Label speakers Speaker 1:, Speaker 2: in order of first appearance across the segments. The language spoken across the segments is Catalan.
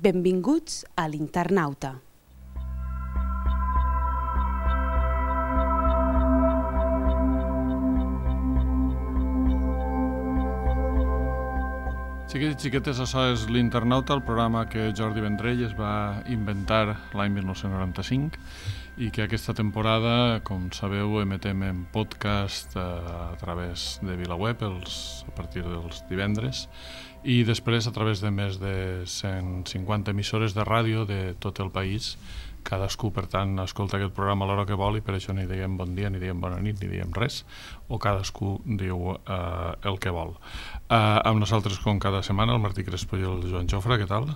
Speaker 1: Benvinguts a l'Internauta.
Speaker 2: Xiquets i xiquetes, això és l'Internauta, el programa que Jordi Vendrell es va inventar l'any 1995 i que aquesta temporada, com sabeu, emetem en podcast a través de VilaWeb a partir dels divendres i després a través de més de 150 emissores de ràdio de tot el país. Cadascú, per tant, escolta aquest programa a l'hora que vol i per això ni diguem bon dia, ni diguem bona nit, ni diguem res, o cadascú diu el que vol. Amb nosaltres, com cada setmana, el Martí Crespo i el Joan Jofre, què tal?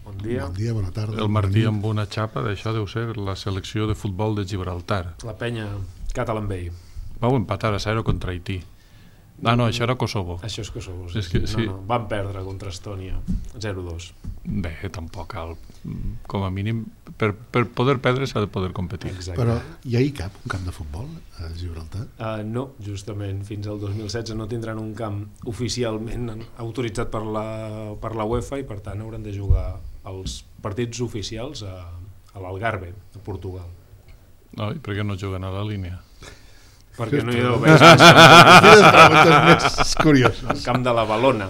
Speaker 3: Bon dia.
Speaker 4: Bon dia, bona tarda.
Speaker 2: El Martí amb una xapa, d'això deu ser la selecció de futbol de Gibraltar.
Speaker 3: La penya Catalan Bay.
Speaker 2: Vau empatar a 0 contra Haití. Ah, no, això era Kosovo.
Speaker 3: Això és Kosovo, sí.
Speaker 2: És que, sí.
Speaker 3: No, van perdre contra Estònia 0-2.
Speaker 2: Bé, tampoc cal. Com a mínim, per poder perdre s'ha de poder competir.
Speaker 3: Exacte.
Speaker 4: Però hi ha cap, un camp de futbol a Gibraltar?
Speaker 3: No, justament, fins al 2016 no tindran un camp oficialment autoritzat per la UEFA i per tant hauran de jugar els partits oficials a l'Algarve, a Portugal.
Speaker 2: No, i per què no juguen a la línia?
Speaker 3: Perquè no hi deu haver
Speaker 4: Quines preguntes més curioses.
Speaker 3: el camp de la Balona.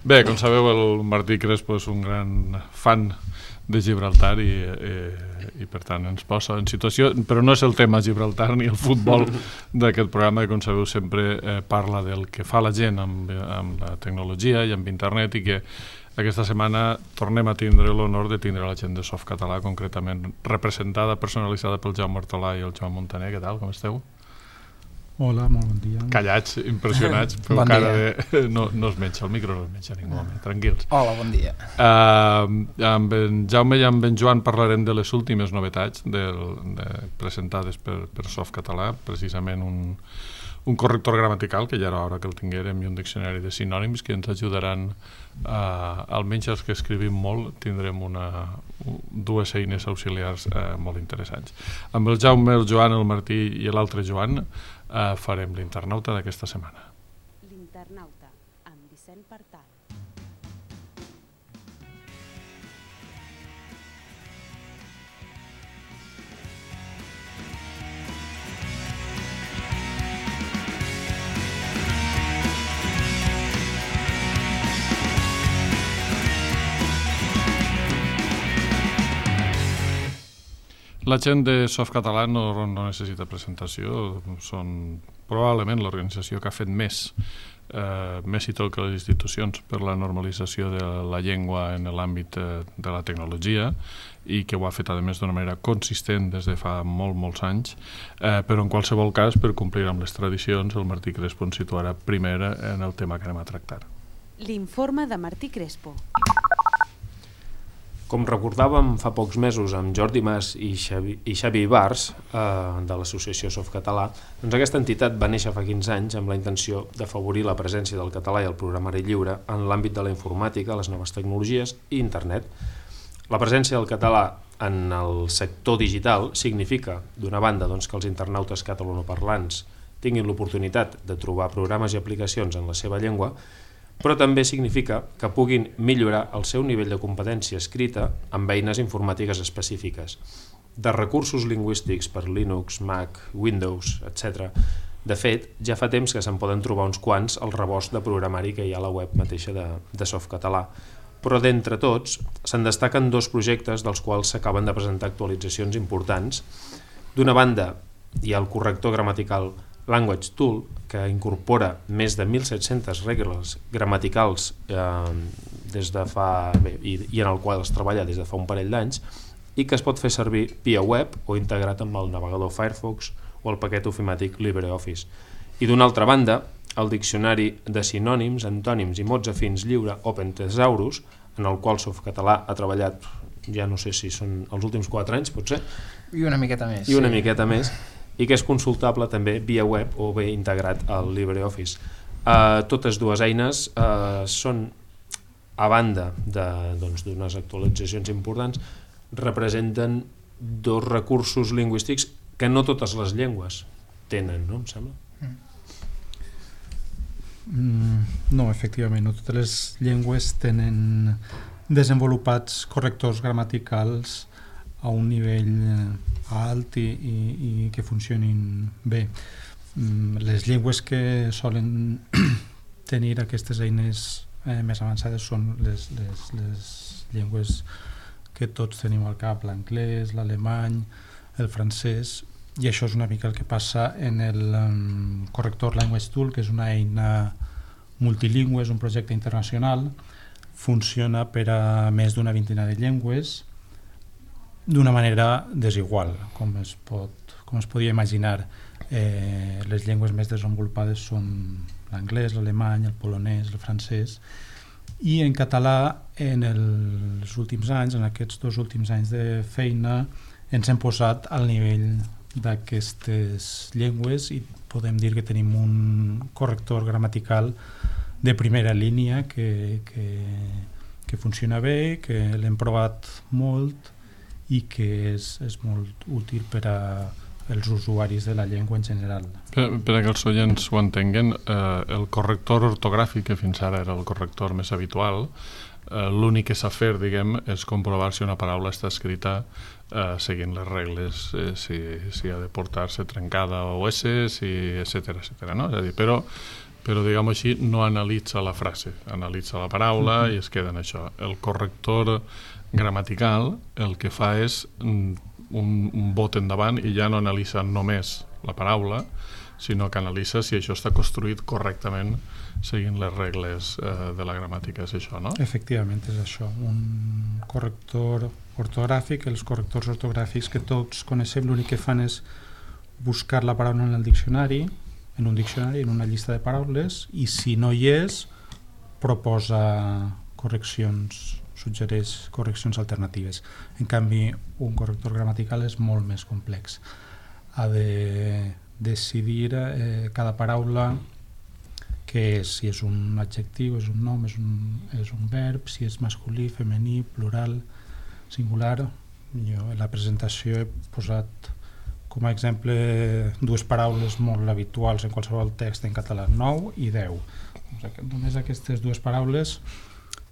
Speaker 2: Bé, com sabeu, el Martí Crespo és un gran fan de Gibraltar i per tant ens posa en situació, però no és el tema Gibraltar ni el futbol d'aquest programa, que com sabeu sempre parla del que fa la gent amb la tecnologia i amb internet, i que aquesta setmana tornem a tindre l'honor de tindre la gent de Softcatalà, concretament representada, personalitzada pel Jaume Hortolà i el Joan Montaner. Què tal, com esteu?
Speaker 5: Hola, molt bon dia.
Speaker 2: Callats, impressionats, però
Speaker 5: Bon
Speaker 2: cara
Speaker 5: dia.
Speaker 2: de... No es menja, el micro no es menja ningú, home, tranquils.
Speaker 5: Hola, bon dia.
Speaker 2: Amb en Jaume i amb en Joan parlarem de les últimes novetats presentades per Softcatalà, precisament un corrector gramatical, que ja era hora que el tinguérem, i un diccionari de sinònims que ens ajudaran, almenys els que escrivim molt, tindrem dues eines auxiliars molt interessants. Amb el Jaume, el Joan, el Martí i l'altre Joan farem l'Internauta d'aquesta setmana.
Speaker 1: L'Internauta, amb Vicent Partal.
Speaker 2: La gent de Softcatalà no necessita presentació, són probablement l'organització que ha fet més i tot que les institucions per la normalització de la llengua en l'àmbit de la tecnologia, i que ho ha fet a més d'una manera consistent des de fa molts anys, però en qualsevol cas, per complir amb les tradicions, el Martí Crespo ens situarà primer en el tema que anem a tractar.
Speaker 1: L'informe de Martí Crespo.
Speaker 3: Com recordàvem fa pocs mesos amb Jordi Mas i Xavi Ibars de l'associació Softcatalà, doncs aquesta entitat va néixer fa 15 anys amb la intenció d'afavorir la presència del català i el programari lliure en l'àmbit de la informàtica, les noves tecnologies i internet. La presència del català en el sector digital significa, d'una banda, doncs, que els internautes catalanoparlants tinguin l'oportunitat de trobar programes i aplicacions en la seva llengua, però també significa que puguin millorar el seu nivell de competència escrita amb eines informàtiques específiques. De recursos lingüístics per Linux, Mac, Windows, etc. De fet, ja fa temps que se'n poden trobar uns quants al rebost de programari que hi ha a la web mateixa de Softcatalà. Però d'entre tots se'n destaquen dos projectes dels quals s'acaben de presentar actualitzacions importants. D'una banda, hi ha el corrector gramatical Language Tool, que incorpora més de 1.700 regles gramaticals des de fa, i en el qual es treballa des de fa un parell d'anys, i que es pot fer servir via web o integrat amb el navegador Firefox o el paquet ofimàtic LibreOffice. I d'una altra banda, el diccionari de sinònims, antònims i mots afins lliure Open Thesaurus, en el qual Softcatalà ha treballat, ja no sé si són els últims 4 anys, potser?
Speaker 5: I una miqueta més.
Speaker 3: I una miqueta més, i que és consultable també via web o bé integrat al LibreOffice. Totes dues eines són, a banda d'unes actualitzacions importants, representen dos recursos lingüístics que no totes les llengües tenen, no em sembla?
Speaker 5: No, efectivament, no totes les llengües tenen desenvolupats correctors gramaticals a un nivell alt i que funcionin bé. Les llengües que solen tenir aquestes eines més avançades són les llengües que tots tenim al cap, l'anglès, l'alemany, el francès, i això és una mica el que passa en el corrector Language Tool, que és una eina multilingüe, és un projecte internacional, funciona per a més d'una vintena de llengües d'una manera desigual, com es podia imaginar. Les llengües més desenvolupades són l'anglès, l'alemany, el polonès, el francès, i en català en els últims anys, en aquests 2 últims anys de feina, ens hem posat al nivell d'aquestes llengües i podem dir que tenim un corrector gramatical de primera línia que funciona bé, que l'hem provat molt i que és molt útil per a els usuaris de la llengua en general.
Speaker 2: Per a que els oients ho entenguen, el corrector ortogràfic, que fins ara era el corrector més habitual, l'únic que s'ha fet, diguem, és comprovar si una paraula està escrita seguint les regles, si ha de portar-se trencada o S, etcètera, no? És a dir, però diguem així, no analitza la frase, analitza la paraula i es queda en això. El corrector gramatical el que fa és un bot endavant i ja no analitza només la paraula, sinó que analitza si això està construït correctament seguint les regles de la gramàtica. És això, no?
Speaker 5: Efectivament, és això. Un corrector ortogràfic, els correctors ortogràfics que tots coneixem, l'únic que fan és buscar la paraula en un diccionari, en una llista de paraules, i si no hi és, proposa correccions, suggereix correccions alternatives. En canvi, un corrector gramatical és molt més complex. Ha de decidir cada paraula què és, si és un adjectiu, és un nom, és un verb, si és masculí, femení, plural, singular. Jo en la presentació he posat com a exemple 2 paraules molt habituals en qualsevol text en català, 9 i 10. Només aquestes 2 paraules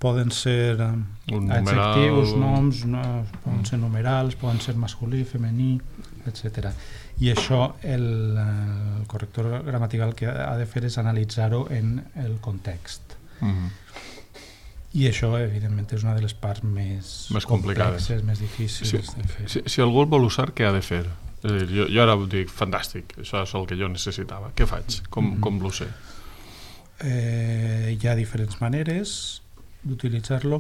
Speaker 5: poden ser adjectius, noms, poden ser numerals, poden ser masculí, femení, etc. I això el corrector gramatical que ha de fer és analitzar-ho en el context. I això, evidentment, és una de les parts més complexes, més difícils de fer.
Speaker 2: Si algú el vol usar, què ha de fer? És a dir, jo ara dic, fantàstic, això és el que jo necessitava. Què faig? Com l'ho sé?
Speaker 5: Hi ha diferents maneres d'utilitzar-lo.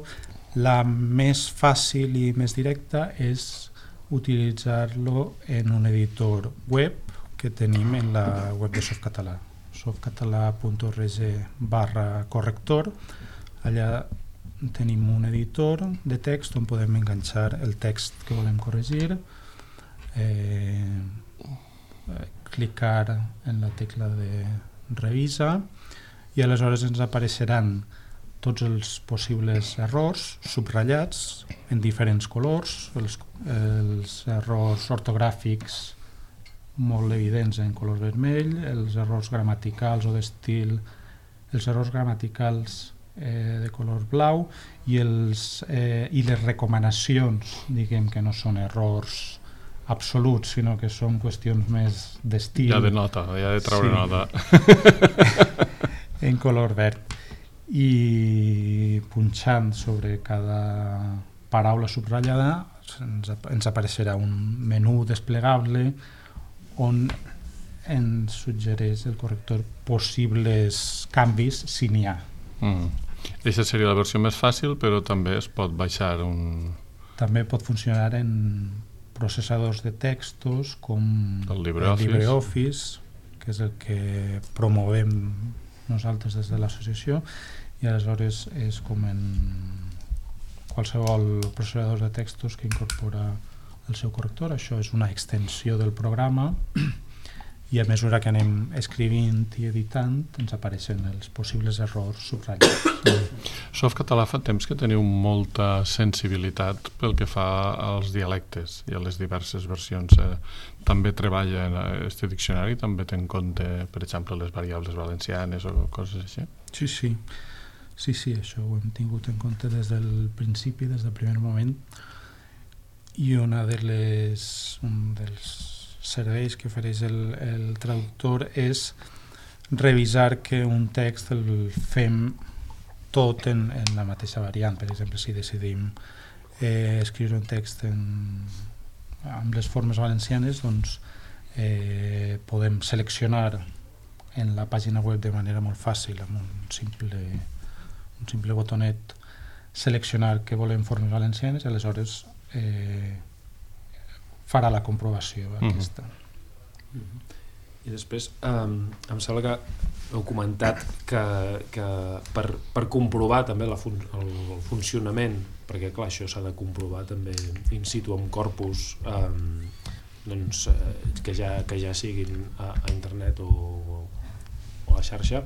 Speaker 5: La més fàcil i més directa és utilitzar-lo en un editor web que tenim en la web de Softcatalà, softcatalà.org/corrector. Allà tenim un editor de text on podem enganxar el text que volem corregir, clicar en la tecla de revisa i aleshores ens apareixeran tots els possibles errors subratllats en diferents colors, els errors ortogràfics molt evidents en color vermell, els errors gramaticals o d'estil, els errors gramaticals de color blau i les recomanacions, diguem que no són errors absoluts, sinó que són qüestions més d'estil.
Speaker 2: Ja de nota, ja de treure nota.
Speaker 5: En color verd. I punxant sobre cada paraula subratllada ens apareixerà un menú desplegable on ens suggereix el corrector possibles canvis si n'hi ha.
Speaker 2: Aquesta seria la versió més fàcil, però també es pot baixar
Speaker 5: També pot funcionar en processadors de textos com
Speaker 2: el LibreOffice,
Speaker 5: que és el que promovem nosaltres des de l'associació, i aleshores és com en qualsevol processador de textos que incorpora el seu corrector. Això és una extensió del programa i a mesura que anem escrivint i editant ens apareixen els possibles errors subratllats.
Speaker 2: Softcatalà fa temps que teniu molta sensibilitat pel que fa als dialectes i a les diverses versions. També treballa en aquest diccionari, també té en compte, per exemple, les variables valencianes o coses així?
Speaker 5: Sí. Sí, això ho hem tingut en compte des del principi, des del primer moment, i un dels serveis que ofereix el traductor és revisar que un text el fem tot en la mateixa variant. Per exemple, si decidim escriure un text amb les formes valencianes, doncs podem seleccionar en la pàgina web de manera molt fàcil, amb un simple botonet, seleccionar que volem formes valencianes i aleshores farà la comprovació aquesta.
Speaker 3: I després em sembla que heu comentat que per comprovar també el funcionament, perquè clar, això s'ha de comprovar també in situ amb corpus que ja siguin a internet o a la xarxa,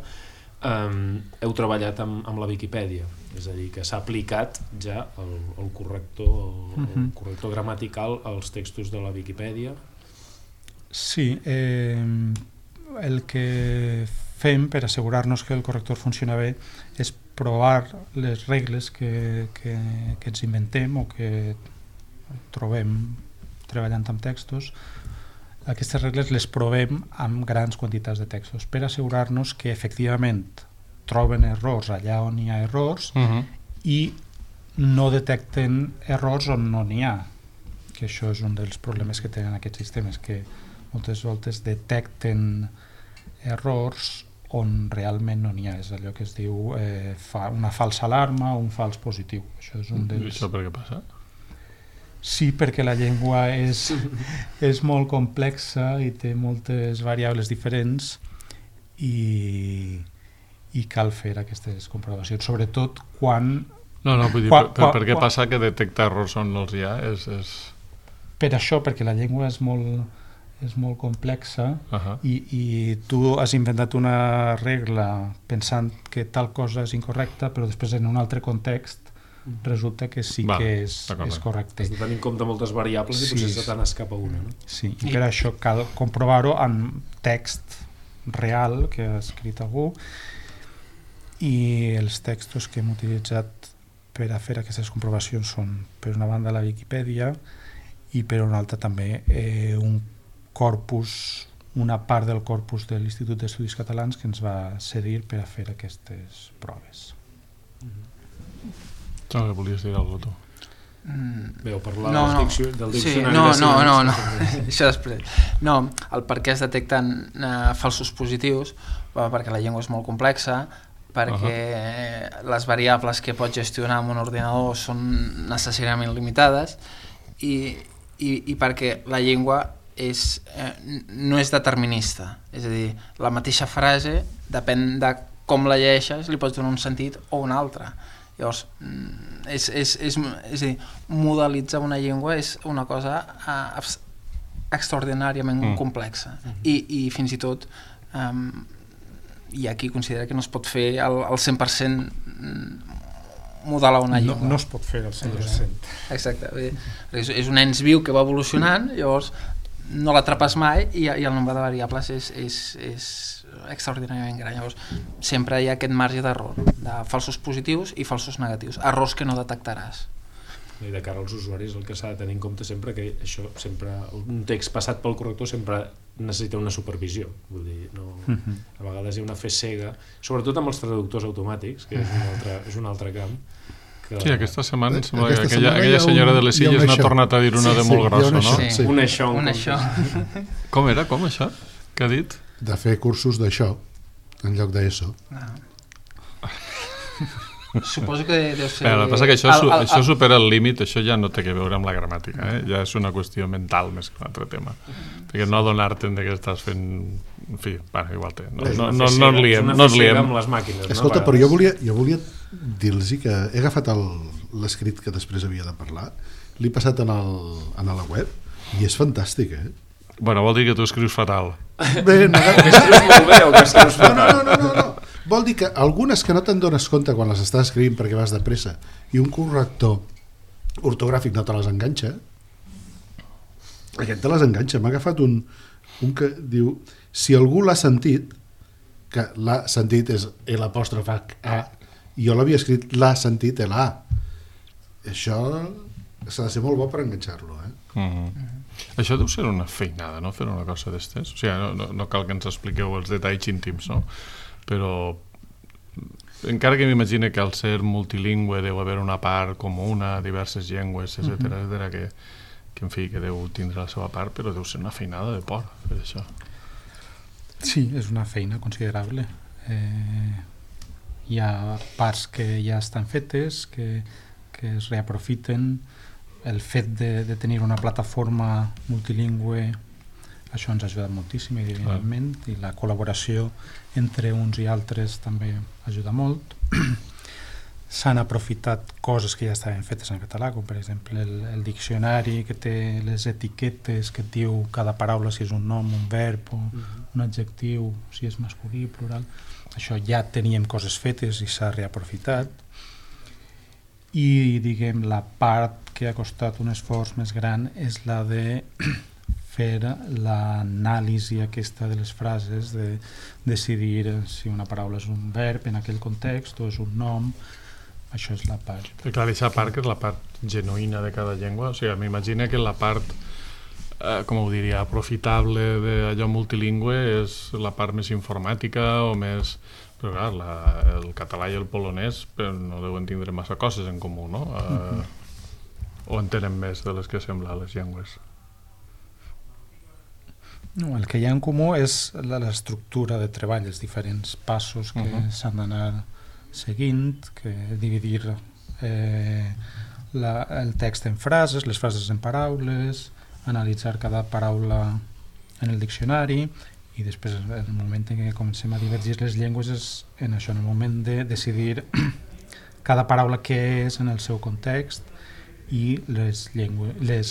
Speaker 3: heu treballat amb la Viquipèdia, és a dir, que s'ha aplicat ja el corrector gramatical als textos de la Viquipèdia.
Speaker 5: Sí, el que fem per assegurar-nos que el corrector funciona bé és provar les regles que ens inventem o que trobem treballant amb textos. Aquestes regles les provem amb grans quantitats de textos per assegurar-nos que efectivament troben errors allà on hi ha errors i no detecten errors on no n'hi ha, que això és un dels problemes que tenen aquests sistemes, que moltes voltes detecten errors on realment no n'hi ha. És allò que es diu una falsa alarma o un fals positiu. Això és un dels...
Speaker 2: I això per què passa?
Speaker 5: Sí, perquè la llengua és molt complexa i té moltes variables diferents i cal fer aquestes comprovacions, sobretot quan...
Speaker 2: No, vull dir, per què passa que detecta errors on no els hi ha?
Speaker 5: Per això, perquè la llengua és molt complexa i tu has inventat una regla pensant que tal cosa és incorrecta, però després en un altre context resulta que sí que és correcte.
Speaker 3: Has de tenir en compte moltes variables i potser se te n'escapa una, no?
Speaker 5: Sí, i per això cal comprovar-ho amb text real que ha escrit algú, i els textos que hem utilitzat per a fer aquestes comprovacions són, per una banda, la Viquipèdia i per una altra també una part del corpus de l'Institut d'Estudis Catalans que ens va cedir per a fer aquestes proves.
Speaker 2: No, que volies dir alguna cosa, tu?
Speaker 3: Veu parlar del diccionari
Speaker 6: no, això després. No, el per què es detecten falsos positius, perquè la llengua és molt complexa, perquè les variables que pots gestionar amb un ordinador són necessàriament limitades i perquè la llengua no és determinista, és a dir, la mateixa frase depèn de com la llegeixes, li pots donar un sentit o un altre. Llavors, és a dir, modelitzar una llengua és una cosa extraordinàriament complexa i fins i tot hi ha qui considera que no es pot fer al 100% modelar una llengua.
Speaker 5: No es pot fer al 100%.
Speaker 6: Exacte. És un ens viu que va evolucionant, llavors no l'atrapes mai i el nombre de variables és extraordinàriament gran. Llavors sempre hi ha aquest marge d'error, de falsos positius i falsos negatius, errors que no detectaràs.
Speaker 3: I de cara als usuaris el que s'ha de tenir en compte sempre que això sempre, un text passat pel corrector sempre necessita una supervisió, vull dir, no, a vegades hi ha una fe cega, sobretot amb els traductors automàtics, que és un altre camp.
Speaker 2: Sí, aquesta setmana aquella senyora de les Illes n'ha tornat a dir una de molt grossa, no?
Speaker 3: Sí. Un això.
Speaker 2: Com era? Com això? Què ha dit?
Speaker 4: De fer cursos d'això en lloc d'ESO.
Speaker 6: Suposo que deu ser...
Speaker 2: El que passa que això supera el límit, això ja no té que veure amb la gramàtica, ja és una qüestió mental més que un altre tema, perquè no adonar-te'n que estàs fent... En fi, igual té, no ens liem.
Speaker 3: Amb les màquines.
Speaker 4: Escolta, però jo volia dir-los que he agafat l'escrit que després havia de parlar, l'he passat a la web i és fantàstic,
Speaker 2: Bueno, vol dir que tu escrius fatal.
Speaker 4: Bé, no,
Speaker 3: que escrius molt bé o que escrius fatal.
Speaker 4: No. Vol dir que algunes que no te'n dones compte quan les estàs escrivint perquè vas de pressa i un corrector ortogràfic no te les enganxa, aquest te les enganxa. M'ha agafat un que diu, si algú l'ha sentit, que l'ha sentit és l'apòstrof A i jo l'havia escrit l'ha sentit l'A. Això s'ha de ser molt bo per enganxar-lo,
Speaker 2: Això deu ser una feinada, no?, fer una cosa d'estes. O sigui, no cal que ens expliqueu els detalls íntims, no? Però encara que m'imagine que al ser multilingüe deu haver una part comuna, diverses llengües, etcètera, que en fi, que deu tindre la seva part, però deu ser una feinada de por fer això.
Speaker 5: Sí, és una feina considerable. Hi ha parts que ja estan fetes, que es reaprofiten. El fet de tenir una plataforma multilingüe, això ens ha ajudat moltíssim, evidentment, i la col·laboració entre uns i altres també ajuda molt. S'han aprofitat coses que ja estaven fetes en català, com per exemple el diccionari que té les etiquetes que et diu cada paraula si és un nom, un verb o un adjectiu, si és masculí, plural. Això ja teníem coses fetes i s'ha reaprofitat. I, diguem, la part que ha costat un esforç més gran és la de fer l'anàlisi aquesta de les frases, de decidir si una paraula és un verb en aquell context o és un nom. Això és la part.
Speaker 2: Però clar, aquesta part que és la part genuïna de cada llengua, o sigui, m'imagino que la part, com ho diria, aprofitable d'allò multilingüe és la part més informàtica o més... Però clar, el català i el polonès no deuen tindre massa coses en comú, no? O en tenen més de les que semblen les llengües?
Speaker 5: No, el que hi ha en comú és l'estructura de treball, els diferents passos que s'han d'anar seguint, que dividir el text en frases, les frases en paraules, analitzar cada paraula en el diccionari, i després el moment en què comencem a divergir les llengües és en això, en el moment de decidir cada paraula què és en el seu context i les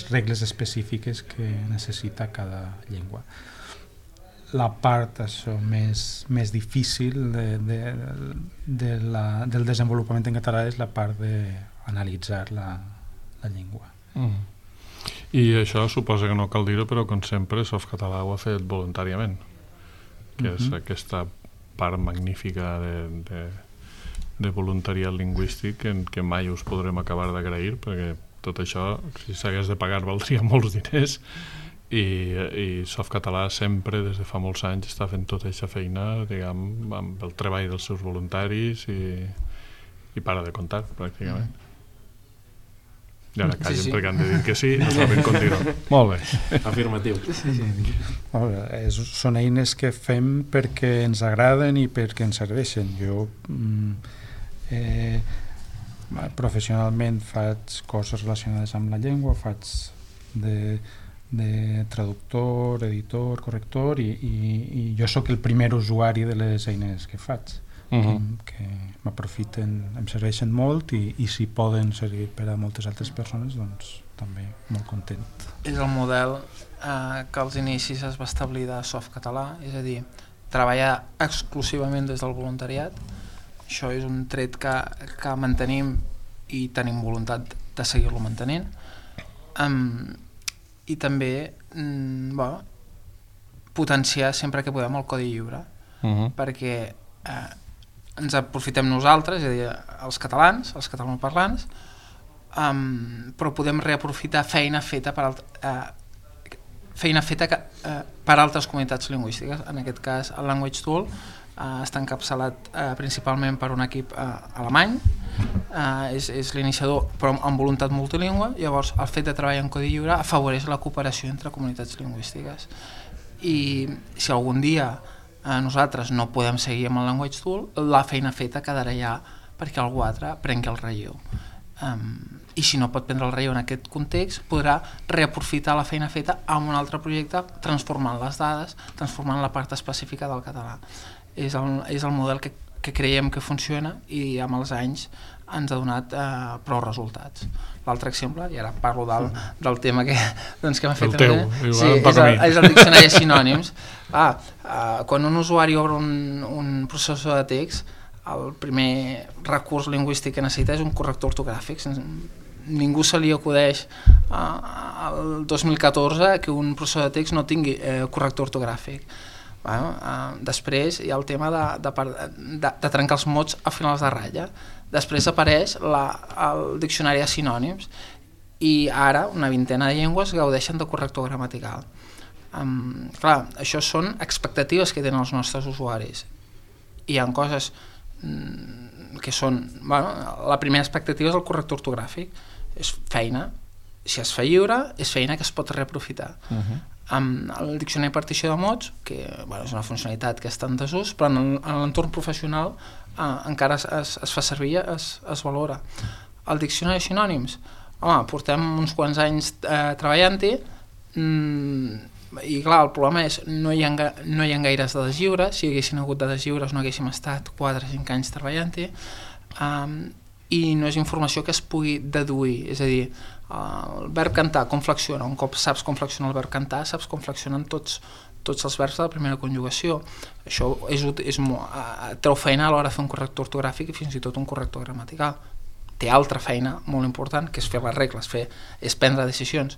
Speaker 5: regles específiques que necessita cada llengua. La part més difícil del desenvolupament en català és la part d'analitzar la llengua.
Speaker 2: I això suposa que no cal dir-ho, però com sempre Softcatalà ho ha fet voluntàriament, que és aquesta part magnífica de voluntariat lingüístic que mai us podrem acabar d'agrair, perquè tot això, si s'hagués de pagar, valdria molts diners, i Softcatalà sempre, des de fa molts anys, està fent tota aquesta feina, diguem, amb el treball dels seus voluntaris i para de comptar, pràcticament. I ara callen perquè han de dir que sí, no saben continuar. Molt bé.
Speaker 3: Afirmatiu.
Speaker 5: Són eines que fem perquè ens agraden i perquè ens serveixen. Jo professionalment faig coses relacionades amb la llengua, faig de traductor, editor, corrector, i jo sóc el primer usuari de les eines que faig, que m'aprofiten, em serveixen molt, i si poden servir per a moltes altres persones, doncs també molt content.
Speaker 6: És el model que als inicis es va establir de Softcatalà, és a dir, treballar exclusivament des del voluntariat. Això és un tret que mantenim i tenim voluntat de seguir-lo mantenint. I també potenciar sempre que podem el codi lliure, perquè ens aprofitem nosaltres, és a dir, els catalans, els catalanoparlants, però podem reaprofitar feina feta per altres comunitats lingüístiques. En aquest cas, el Language Tool està encapçalat principalment per un equip alemany, és l'iniciador però amb voluntat multilingüe. Llavors el fet de treballar en codi lliure afavoreix la cooperació entre comunitats lingüístiques, i si algun dia nosaltres no podem seguir amb el Language Tool, la feina feta quedarà ja perquè algú altre prengui el relleu, i si no pot prendre el relleu en aquest context podrà reaprofitar la feina feta en un altre projecte, transformant les dades, transformant la part específica del català. És el model que creiem que funciona i amb els anys ens ha donat prou resultats. L'altre exemple, i ara parlo del tema que m'ha fet...
Speaker 2: El teu,
Speaker 6: és el diccionari de sinònims. Quan un usuari obre un processor de text, el primer recurs lingüístic que necessita és un corrector ortogràfic. Ningú se li acudeix al 2014 que un processor de text no tingui corrector ortogràfic. Després hi ha el tema de trencar els mots a finals de ratlla. Després apareix el diccionari de sinònims i ara una vintena de llengües gaudeixen de corrector gramatical. Clar, això són expectatives que tenen els nostres usuaris. Hi ha coses que són... la primera expectativa és el corrector ortogràfic. És feina. Si es fa lliure, és feina que es pot reaprofitar. Amb el diccionari partició de mots, que és una funcionalitat que està en desús, però en l'entorn professional encara es fa servir, es valora. El diccionari de sinònims, portem uns quants anys treballant-hi, i clar, el problema és no hi ha gaires dades lliures. Si hi haguessin hagut dades lliures no haguéssim estat 4 o 5 anys treballant-hi, i no és informació que es pugui deduir. És a dir, el verb cantar, com flexiona? Un cop saps com flexiona el verb cantar, saps com flexionen tots els verbs de la primera conjugació. Això treu feina a l'hora de fer un corrector ortogràfic i fins i tot un corrector gramatical. Té altra feina molt important, que és fer les regles, és prendre decisions.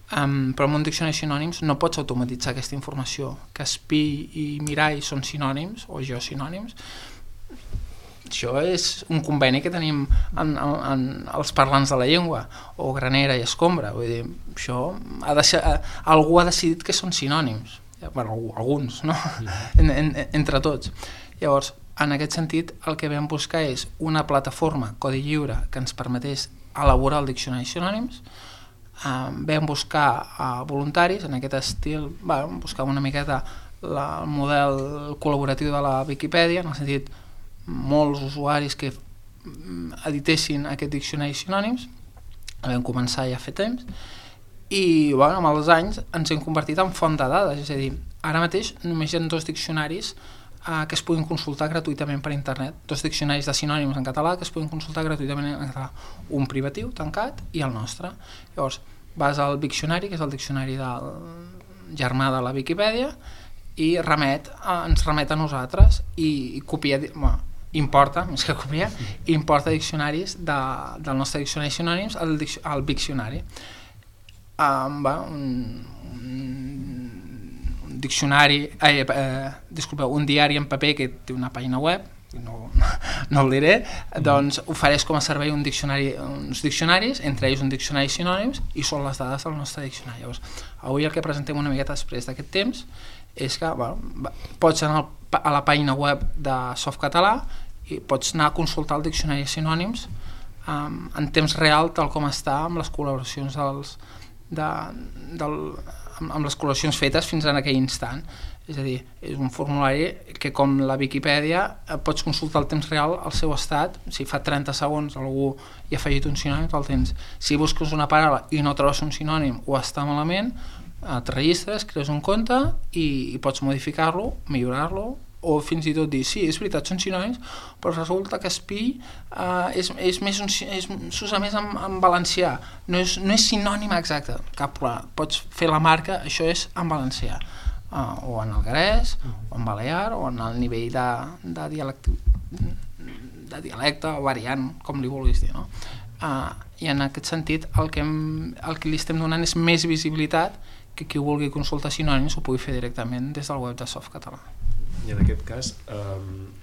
Speaker 6: Però en un diccionari de sinònims no pots automatitzar aquesta informació. Que espí i mirall són sinònims, o geosinònims. Això és un conveni que tenim en els parlants de la llengua, o granera i escombra. Vull dir, això algú ha decidit que són sinònims. Alguns, no? Entre tots. Llavors, en aquest sentit, el que vam buscar és una plataforma, codi lliure, que ens permetés elaborar el diccionari de sinònims. Vam buscar voluntaris en aquest estil, buscàvem una miqueta el model col·laboratiu de la Viquipèdia, en el sentit molts usuaris que editessin aquest diccionari de sinònims. Vam començar ja a fer temps i amb els anys ens hem convertit en font de dades, és a dir, ara mateix només hi ha 2 diccionaris que es puguin consultar gratuïtament per internet, 2 diccionaris de sinònims en català que es puguin consultar gratuïtament en català, un privatiu, tancat, i el nostre. Llavors vas al Diccionari, que és el diccionari del germà de la Viquipèdia, i ens remet a nosaltres i copia, importa, més que copiar, importa diccionaris del nostre diccionari de sinònims al Diccionari. Un diari en paper que té una pàgina web, no el diré, doncs ofereix com a servei uns diccionaris, entre ells un diccionari de sinònims, i són les dades del nostre diccionari. Llavors, avui el que presentem una miqueta després d'aquest temps és que pots anar a la pàgina web de Softcatalà i pots anar a consultar el diccionari de sinònims en temps real, tal com està amb les col·laboracions amb les col·laboracions fetes fins en aquell instant. És a dir, és un formulari que, com la Viquipèdia, pots consultar al temps real el seu estat. Si fa 30 segons algú hi ha afegit un sinònim, el tens. Si busques una paraula i no trobes un sinònim o està malament, et registres, crees un compte i pots modificar-lo, millorar-lo, o fins i tot dir, sí, és veritat, són sinònims, però resulta que espí s'usa més en valencià, no és sinònim exacte, cap problema, pots fer la marca, això és en valencià, o en alguerès, o en balear, o en el nivell de dialecte o variant, com li vulguis dir, no? I en aquest sentit el que li estem donant és més visibilitat, que qui vulgui consultar sinònims ho pugui fer directament des del web de Softcatalà.
Speaker 3: I en aquest cas,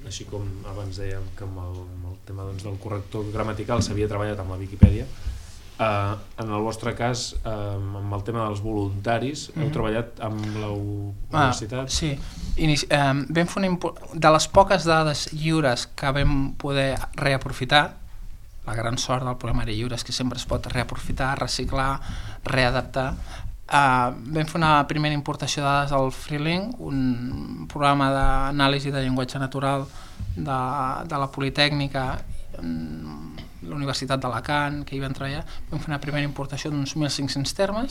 Speaker 3: així com abans dèiem que amb el tema del corrector gramatical s'havia treballat amb la Viquipèdia, en el vostre cas, amb el tema dels voluntaris, heu treballat amb la universitat?
Speaker 6: Sí, vam fer de les poques dades lliures que vam poder reaprofitar. La gran sort del programari lliure és que sempre es pot reaprofitar, reciclar, readaptar. Vam fer una primera importació de dades al Freelink, un programa d'anàlisi de llenguatge natural de la Politècnica, la Universitat d'Alacant, que hi vam treballar. Vam fer una primera importació d'uns 1.500 termes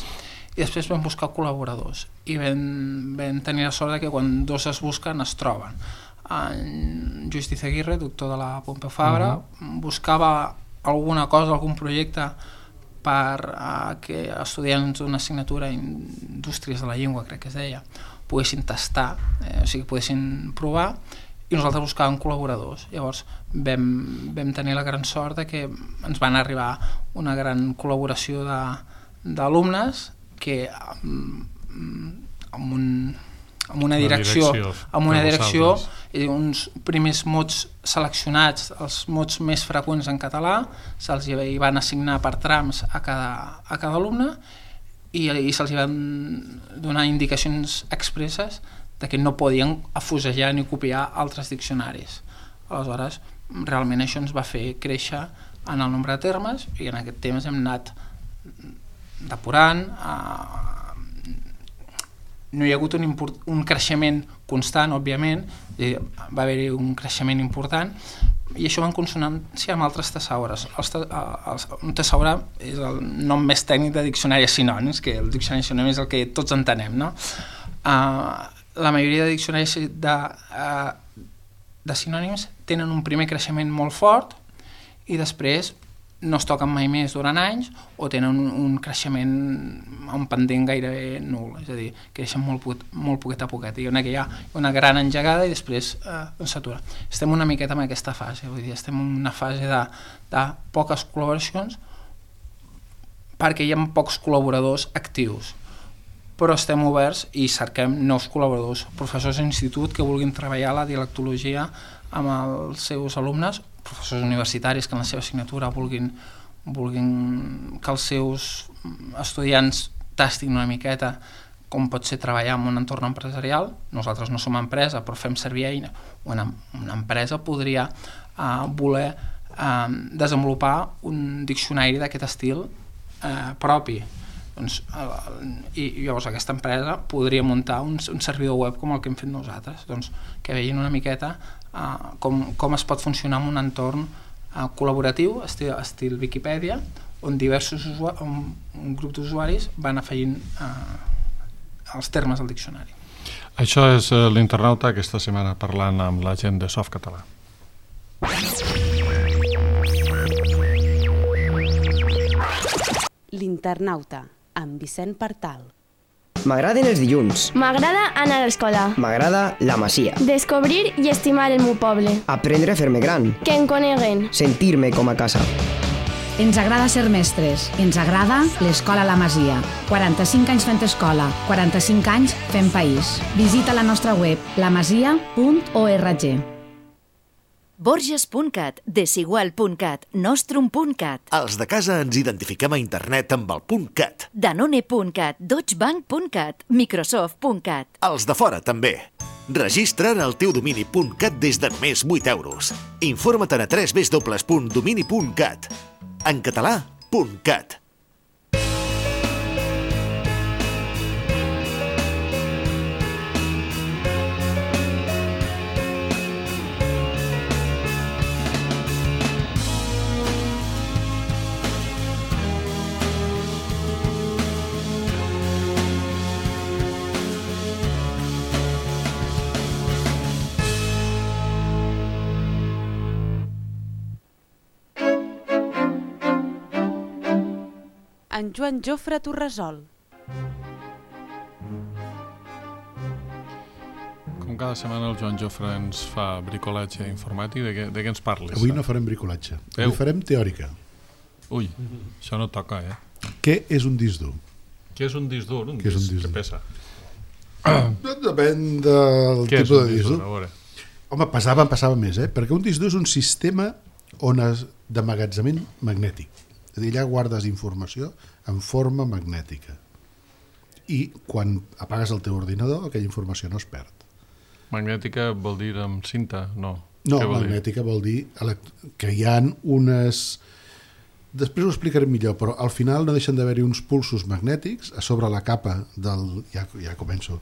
Speaker 6: i després vam buscar col·laboradors i vam tenir la sort que quan 2 es busquen es troben. En Lluís Dizaguirre, doctor de la Pompeu Fabra, buscava alguna cosa, algun projecte per que estudiants d'una assignatura Indústries de la Llengua, crec que es deia, poguessin tastar, o sigui, poguessin provar, i nosaltres buscàvem col·laboradors. Llavors vam tenir la gran sort de que ens van arribar una gran col·laboració d'alumnes que amb una direcció, i uns primers mots seleccionats, els mots més freqüents en català, se'ls hi van assignar per trams a cada alumne i se'ls hi van donar indicacions expresses de que no podien afusellar ni copiar altres diccionaris. Aleshores, realment això ens va fer créixer en el nombre de termes i en aquest temps hem anat depurant. No hi ha hagut un creixement constant, òbviament, va haver-hi un creixement important i això va en consonància amb altres tesaures. Un tesaure és el nom més tècnic de diccionari de sinònims, que el diccionari de sinònims és el que tots entenem, no? La majoria de diccionaris de sinònims tenen un primer creixement molt fort i després no es toquen mai més durant anys o tenen un creixement, un pendent gairebé nul, és a dir, creixen molt poquet a poquet. Hi ha una gran engegada i després s'atura. Estem una miqueta en aquesta fase, vull dir, estem en una fase de poques col·laboracions perquè hi ha pocs col·laboradors actius, però estem oberts i cerquem nous col·laboradors, professors d'institut que vulguin treballar la dialectologia amb els seus alumnes, professors universitaris que en la seva assignatura vulguin que els seus estudiants tastin una miqueta com pot ser treballar en un entorn empresarial. Nosaltres no som empresa, però fem servir eina. Una empresa podria voler desenvolupar un diccionari d'aquest estil propi. I llavors aquesta empresa podria muntar un servidor web com el que hem fet nosaltres, que vegin una miqueta com es pot funcionar en un entorn col·laboratiu, estil Viquipèdia, on un grup d'usuaris van afegint els termes al diccionari.
Speaker 2: Això és l'Internauta aquesta setmana parlant amb la gent de Softcatalà.
Speaker 1: L'Internauta, amb Vicent Partal.
Speaker 7: M'agraden els dilluns.
Speaker 8: M'agrada anar a l'escola.
Speaker 7: M'agrada la Masia.
Speaker 8: Descobrir i estimar el meu poble.
Speaker 7: Aprendre a fer-me gran.
Speaker 8: Que em coneguen.
Speaker 7: Sentir-me com a casa.
Speaker 9: Ens agrada ser mestres. Ens agrada l'Escola La Masia. 45 anys fent escola, 45 anys fent país. Visita la nostra web lamasia.org.
Speaker 10: Borges.cat, Desigual.cat, Nostrum.cat.
Speaker 11: Els de casa ens identifiquem a internet amb el .cat.
Speaker 10: Danone.cat, Deutschebank.cat, Microsoft.cat.
Speaker 11: Els de fora també. Registra't al teu domini .cat des de només 8 euros. Informa't a www.domini.cat. En català, .cat.
Speaker 1: En Joan Jofre Torresol.
Speaker 2: Com cada setmana el Joan Jofre ens fa bricolatge informàtic, de què ens parles?
Speaker 4: Avui no farem bricolatge, avui farem teòrica.
Speaker 2: Ui, això no toca,
Speaker 4: Què és un disc dur?
Speaker 2: Què és un disc dur? Un disc que pesa.
Speaker 4: Depèn del tipus de disc dur. Home, passava més, perquè un disc dur és un sistema d'emmagatzemament magnètic. És a dir, allà guardes informació en forma magnètica. I quan apagues el teu ordinador, aquella informació no es perd.
Speaker 2: Magnètica vol dir amb cinta? No.
Speaker 4: No, magnètica vol dir que hi ha unes... Després ho explicaré millor, però al final no deixen d'haver-hi uns pulsos magnètics a sobre la capa del... Ja començo.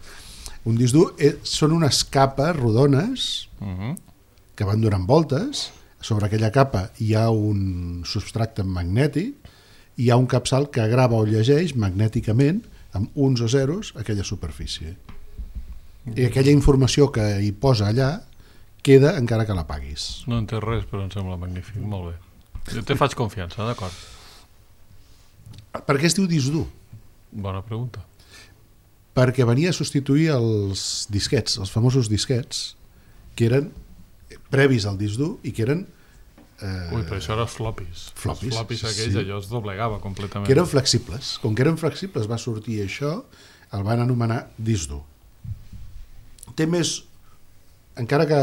Speaker 4: Un disc dur són unes capes rodones que van donant voltes. Sobre aquella capa hi ha un substracte magnètic i hi ha un capçal que grava o llegeix magnèticament amb uns o zeros aquella superfície. I aquella informació que hi posa allà queda encara que la paguis.
Speaker 2: No entenc res, però em sembla magnífic. Molt bé. Jo te faig confiança, d'acord.
Speaker 4: Per què es diu disc dur?
Speaker 2: Bona pregunta.
Speaker 4: Perquè venia a substituir els disquets, els famosos disquets, que eren previs al disc dur i que eren...
Speaker 2: Ui, però això eren floppies. Els floppies aquells, allò es doblegava completament.
Speaker 4: Que eren flexibles. Com que eren flexibles va sortir això, el van anomenar disc dur. té més, encara que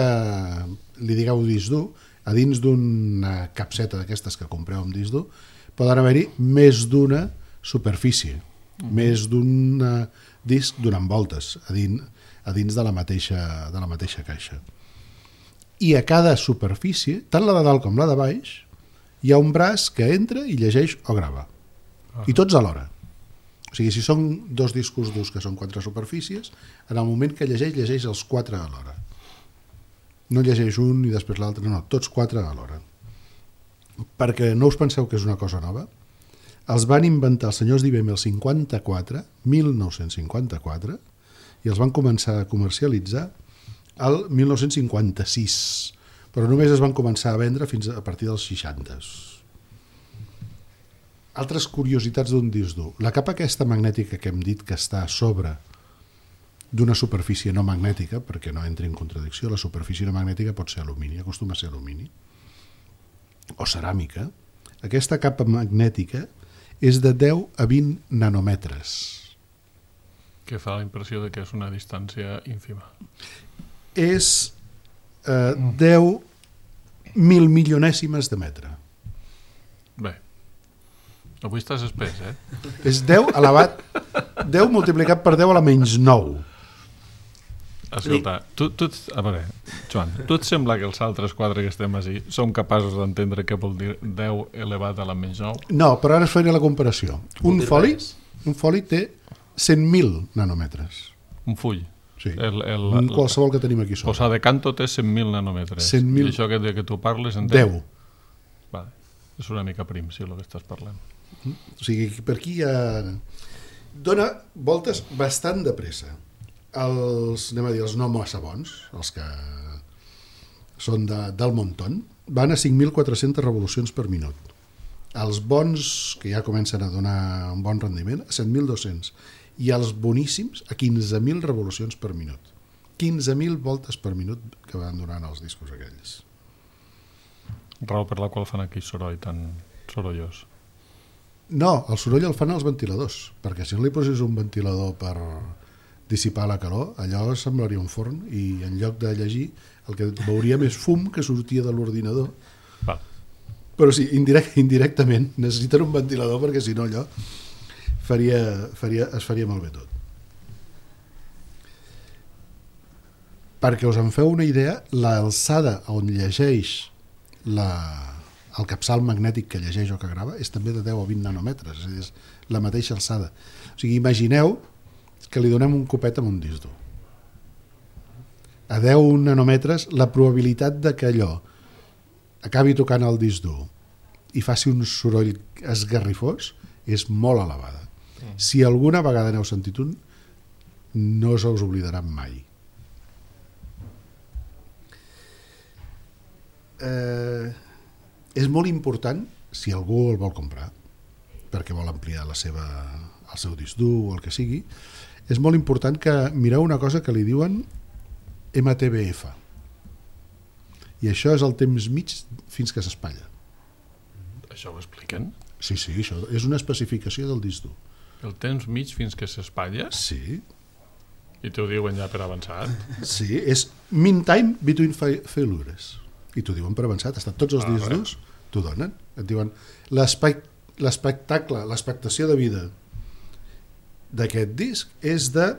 Speaker 4: li digueu disc dur, a dins d'una capseta d'aquestes que compreu amb disc dur, poden haver-hi més d'una superfície, més d'un disc donant voltes a dins de la mateixa caixa. I a cada superfície, tant la de dalt com la de baix, hi ha un braç que entra i llegeix o grava. I tots alhora. O sigui, si són 2 discos durs que són 4 superfícies, en el moment que llegeix els 4 alhora. No llegeix un i després l'altre, no, tots 4 alhora. Perquè no us penseu que és una cosa nova. Els van inventar els senyors d'IBM el 1954, i els van començar a comercialitzar el 1956, però només es van començar a vendre fins a partir dels 60. Altres curiositats d'un disc dur. La capa aquesta magnètica que hem dit que està a sobre d'una superfície no magnètica, perquè no entri en contradicció, la superfície no magnètica pot ser alumini, acostuma a ser alumini, o ceràmica. Aquesta capa magnètica és de 10 a 20 nanòmetres.
Speaker 2: Que fa la impressió de que és una distància ínfima.
Speaker 4: És 10 milionèsimes de metre.
Speaker 2: Bé, avui estàs espès, eh?
Speaker 4: És 10 elevat, 10 multiplicat per 10 a la menys 9.
Speaker 2: Escolta, a veure, Joan, tu et sembla que els altres 4 que estem així som capaços d'entendre què vol dir 10 elevat a la menys 9?
Speaker 4: No, però ara es faria la comparació. Un foli té 100.000 nanòmetres.
Speaker 2: Un full?
Speaker 4: Sí, qualsevol que tenim aquí sobre.
Speaker 2: Posar de canto té 100.000 nanòmetres.
Speaker 4: 100.000.
Speaker 2: I això que tu parles en
Speaker 4: 10.
Speaker 2: Vale. És una mica prim, sí, el que estàs parlant.
Speaker 4: O sigui, per aquí ja dona voltes bastant de pressa. Els no massa bons, els que són del montón, van a 5.400 revolucions per minut. Els bons, que ja comencen a donar un bon rendiment, a 7.200. I els boníssims, a 15.000 revolucions per minut. 15.000 voltes per minut que van donant els discos aquells.
Speaker 2: Raó per la qual fan aquí soroll tan sorollós.
Speaker 4: No, el soroll el fan els ventiladors, perquè si no li posis un ventilador per dissipar la calor, allò semblaria un forn, i en lloc de llegir el que veuríem és fum que sortia de l'ordinador.
Speaker 2: Va.
Speaker 4: Però sí, indirectament necessiten un ventilador, perquè si no allò es faria malbé tot. Perquè us en feu una idea, l'alçada on llegeix el capçal magnètic que llegeix o que grava és també de 10 o 20 nanòmetres, és a dir, és la mateixa alçada. O sigui, imagineu que li donem un copet amb un disc dur. A 10 nanòmetres, la probabilitat de que allò acabi tocant el disc dur i faci un soroll esgarrifós és molt elevada. Si alguna vegada n'heu sentit un, no se us oblidaran mai. És molt important, si algú el vol comprar, perquè vol ampliar el seu disc dur o el que sigui, és molt important que mireu una cosa que li diuen MTBF. I això és el temps mig fins que s'espatlla.
Speaker 2: Això ho expliquen?
Speaker 4: Sí, això és una especificació del disc dur.
Speaker 2: El temps mig fins que s'espatlla?
Speaker 4: Sí.
Speaker 2: I t'ho diuen ja per avançat?
Speaker 4: Sí, és mean time between failures. I t'ho diuen per avançat. Tots els discs durs t'ho donen. Et diuen l'espectacle, l'expectació de vida d'aquest disc és de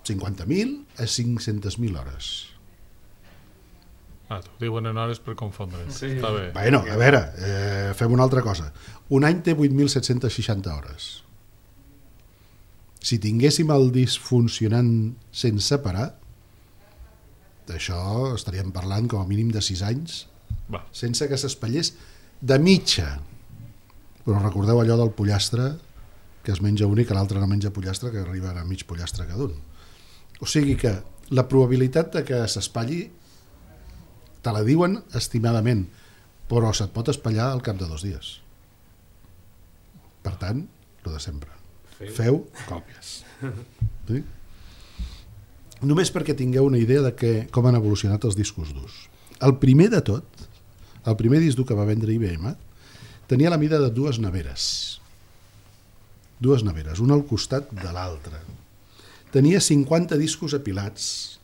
Speaker 4: 50.000 a 500.000 hores.
Speaker 2: T'ho diuen en hores per confondre. Sí. Està bé.
Speaker 4: Bueno, a veure, fem una altra cosa. Un any té 8.760 hores. Si tinguéssim el disc funcionant sense parar, d'això estaríem parlant com a mínim de 6 anys, sense que s'espatllés de mitja. Però recordeu allò del pollastre, que es menja un i que l'altre no menja pollastre, que arriba a mig pollastre cada un. O sigui que la probabilitat de que s'espatlli te la diuen estimadament, però se't pot espatllar al cap de 2 dies. Per tant, el de sempre. Feu còpies. Sí? Només perquè tingueu una idea de com han evolucionat els discos durs. El primer de tot, el primer disc dur que va vendre IBM, tenia la mida de 2 neveres. 2 neveres, una al costat de l'altra. Tenia 50 discos apilats